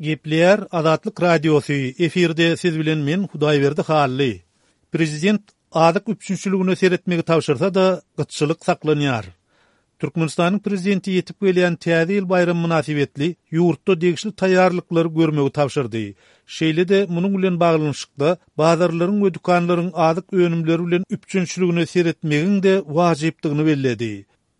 Gepleýär Azatlyk Radiosy, efirde siz bilen men Hudaýberdi Hally. Prezident azyk üpjünçiligine seretmegi tabşyrsa-da, gytçylyk saklanýar. Türkmenistanyň Prezidenti ýetip gelýän Täze ýyl baýramy mynasybetli ýurtda degişli taýýarlyklary görmegi tabşyrdy. Şeýle-de munuň bilen baglanyşykda bazarlaryň we dükanlaryň azyk önümleri bilen üpjünçiligine seretmegiň-de wajypdygyny belledi.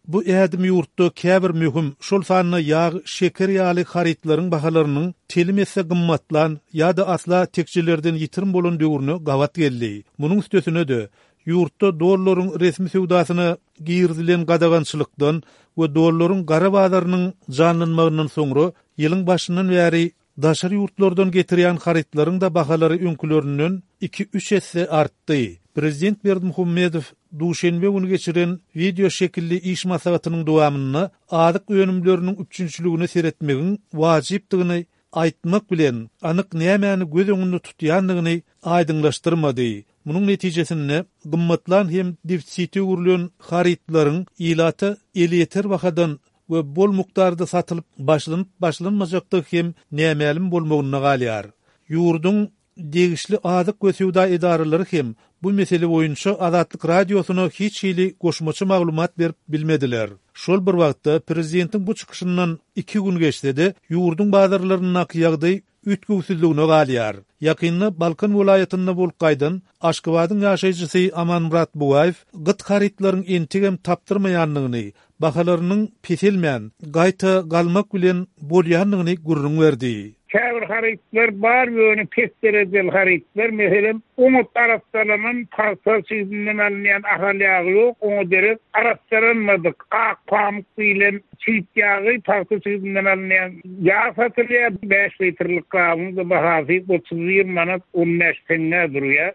Bu ädim ýurtda käbir möhüm, şol sanda ýag, şeker ýaly harytlaryň bahalarynyň telim esse gymmatlan ýa-da asla tekjelerden ýitirim bolan döwrüne gabat geldi. Munuň üstesine-de, ýurtda dollaryň resmi söwdasyna girizilen gadagançylykdan we dollaryň gara bazarynyň janlanmagyndan soňra ýylyň başyndan bäri daşary ýurtlardan getirýän harytlaryň-da bahalary öňkülerinden iki-üç esse artdy. Prezident Berdimuhamedow duşenbe güni geçiren wideo şekilli iş maslahatynyň dowamynda azyk önümleriniň üpjünçiligine seretmegiň wajypdygyny aýtmak bilen, anyk nämäni göz öňünde tutýandygyny aýdyňlaşdyrmady. Munuň netijesinde, gymmatlan hem defisite öwrülen harytlaryň ilata elýeter bahadan we bol mukdarda satylyp başlanyp-başlanmajakdygy hem nämälim bolmagynda galýar. Ýurduň degişli azyk we söwda edaralary hem bu mesele boýunça Azatlyk Radiosyna hiç hili goşmaça maglumat berip bilmediler. Şol bir wagtda, prezidentiň bu çykyşyndan iki gün geçse-de, ýurduň bazarlaryndaky ýagdaý üýtgewsizligine galýar. Ýakynda Balkan welaýatynda bolup gaýdan Aşgabadyň ýaşaýjysy Amanmyrat Bugaýew gyt harytlaryň entegem tapdyrmaýandygyny, bahalarynyň peselmän, gaýta galmak bilen bolýandygyny gürrüň berdi. Käbir harytlar bar, ýöne pes derejeli harytlar, meselem, oňat arassalanan pagta çigdinden alynýan ahal ýagy ýok, oňa derek arassalanmadyk ak pamyk diýlen Çigit ýagy pagta çigidinden alynýan ýag satylýar. Bäş litrlik gabyň-da bahasy 31 manat 15 teňňä durýar.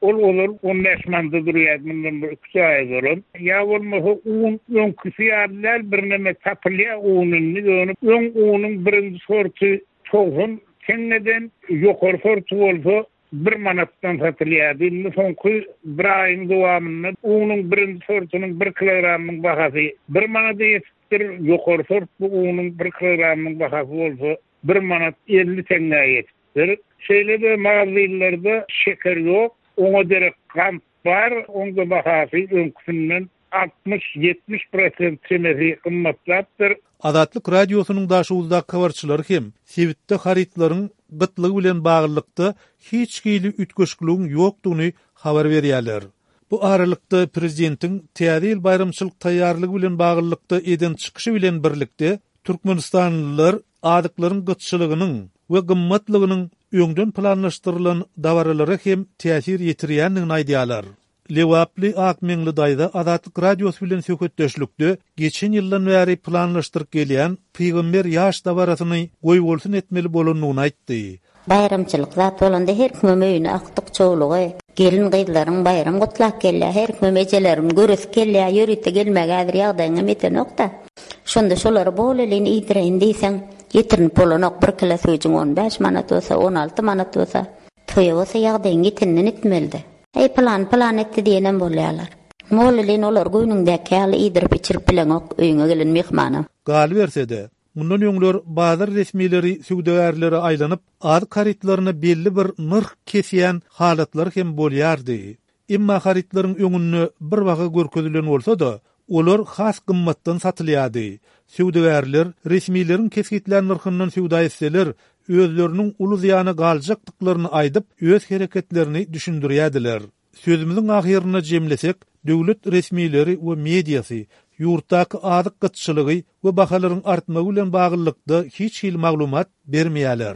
Ol ozal 15 manada durýardy, mundan bir iki-üç aý ozalam. Ýa bolmasa un öňküsi ýaly däl, birneme tapylýar un indi, ýöne öň unuň birinji sorty 90 teňňeden, ýokary sorty bolsa bir manatdan satylýardy. Indi soňky bir aýyň dowamynda unuň birinji sortunyň bir kilogramynyň bahasy bir manada ýetipdir, ýokary sortly unuň bir kilogramynyň bahasy bolsa bir manat 50 teňňä ýetipdir. Şeýle-de magazinlerde şeker ýok, oňa derek gant Bar, oň-da bahasy öňküsinden 60, 70 prosent çemesi gymmatlapdyr. Azatlyk Radiosynyň Daşoguzdaky habarçylary hem sebitde harytlaryň gytlygy bilen baglylykda hiç hili üýtgeşikligiň ýokdugyny habar berýärler. Bu aralykda, prezidentiň Täze ýyl baýramçylyk taýýarlygy bilen baglylykda eden çykyşy bilen birlikde, türkmenistanlylar azyklaryň gytçylygynyň we gymmatlygynyň öňden planlaşdyrylan dabaralara hem täsir ýetirýändigini aýdýarlar. Lebaply Akmeňli daýza Azatlyk Radiosy bilen söhbetdeşlikde geçen ýyldan bäri planlaşdyryp gelýän Pygamber ýaş dabarasyny goýbolsun etmeli bolandygyny aýtdy. Baýramçylyk zat bolanda her kimem öýüne agtyk-çowlugy, gelin-gyzlaryň baýram gutlap gelýär, her kimem ejeleriň göresi gelýär, ýörite gelmäge häzir ýagdaýyňam ýetenok-da. Şonda şolary bol-elin iýdireýin diýseň, ýetirinip bolanok, bir kile süýjüň on bäş manat bolsa, on alty manat bolsa, toýa bolsa ýagdaýyň ýeteninden etmeli-dä. Eý, pylany pylan etdi diýenem bolýarlar. Bol-elin olary göwnüňdäki ýaly iýdirip-içirip bileňok öýüňe gelen myhmana. Galyberse-de, Mundan öňler bazar resmileri söwdagärlere aýlanyp, azyk harytlaryna belli bir nyrh kesýän halatlary hem bolýardy. Emma harytlaryň öňünde bir baha görkezilen bolsa-da, olar has gymmatdan satylýardy. Söwdagärler resmileriň kesgitlän nyrhyndan söwda etseler, özleriniň uly zyýana galjakdyklaryny aýdyp, öz hereketlerini düşündirýärdiler. Sözümiziň ahyrynda jemlesek, döwlet resmileri we mediasy ýurtdaky azyk gytçylygy we bahalaryň artmagy bilen baglylykda hiç hili maglumat bermeýärler.